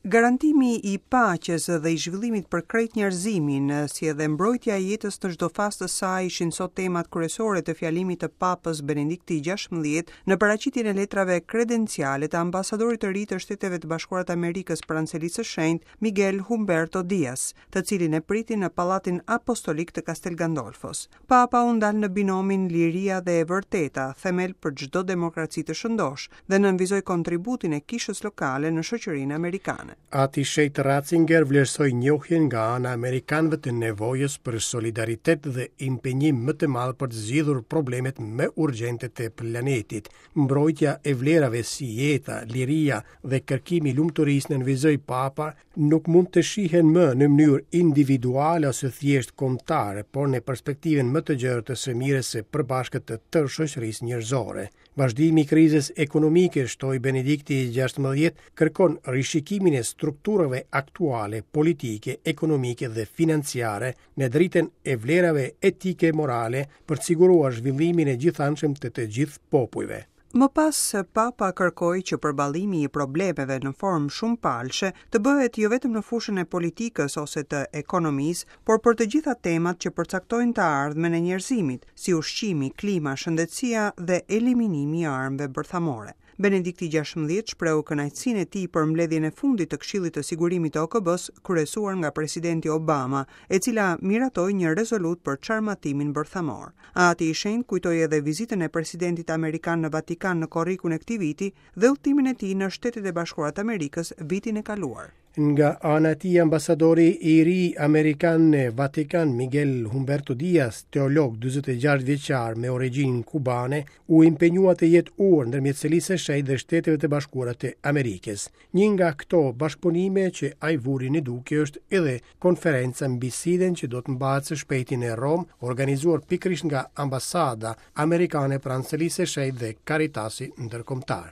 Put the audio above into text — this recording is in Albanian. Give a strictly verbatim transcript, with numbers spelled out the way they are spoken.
Garantimi i paqes dhe i zhvillimit për krejt njerëzimin, si edhe mbrojtja e jetës në çdo fazë të saj, ishin sot temat kryesore të fjalimit të Papës Benedikti gjashtëmbëdhjetë në paraqitjen e letrave kredenciale të ambasadorit të ri të Shteteve të Bashkuara të Amerikës pranë Selisë së Shenjtë, Miguel Humberto Diaz, të cilin e priti në Pallatin Apostolik të Castel Gandolfos. Papa u ndal në binomin liria dhe e vërteta, themel për çdo demokraci të shëndosh, dhe nënvizoi kontributin e kishës lokale në shoqërinë amerikane. Ati Shenjt Ratzinger vlerësoi njohjen nga ana amerikanëve të nevojës për solidaritet dhe impenjim më të madh për të zgjidhur problemet më urgjente të planetit. Mbrojtja e vlerave si jeta, liria dhe kërkimi i lumturisë, nënvizoi Papa, nuk mund të shihen më në mënyrë individuale ose thjesht kombëtare, por në perspektivën më të gjerë të së mirës së përbashkët të tërë shoqërisë njerëzore. Vazhdimi i krizës ekonomike, shtoi Benedikti gjashtëmbëdhjetë, kërkon rishikimin e strukturave aktuale, politike, ekonomike dhe financiare në dritën e vlerave etike e morale për të siguruar zhvillimin e gjithanshëm të të gjithë popujve. Më pas, Papa kërkoi që përballimi i problemeve në formë shumëpalëshe të bëhet jo vetëm në fushën e politikës ose të ekonomisë, por për të gjitha temat që përcaktojnë të ardhmen e njerëzimit, si ushqimi, klima, shëndetësia dhe eliminimi i armëve bërthamore. Benedikti gjashtëmbëdhjetë shprehu kënaqësinë e tij për mbledhjen e fundit të Këshillit të Sigurimit të O K B-s, kryesuar nga presidenti Obama, e cila miratoi një rezolutë për çarmatimin bërthamor. Ati i Shenjtë kujtoi edhe vizitën e presidentit amerikan në Vatikan në korrikun e këtij viti dhe udhëtimin e tij në Shtetet e Bashkuara të Amerikës vitin e kaluar. Nga ana e tij, ambasadori i ri amerikan në Vatikan, Miguel Humberto Diaz, teolog dyzet e gjashtë vjeçar me origjinë kubane, u impenjua të jetë urë ndërmjet Selisë së Shenjtë dhe Shteteve të Bashkuara të Amerikës. Një nga këto bashkëpunime që ai vuri në dukje është edhe konferenca mbi SIDA-n që do të mbahet së shpejti në Romë, organizuar pikërisht nga ambasada amerikane pranë Selisë së Shenjtë dhe Caritasi ndërkombëtar.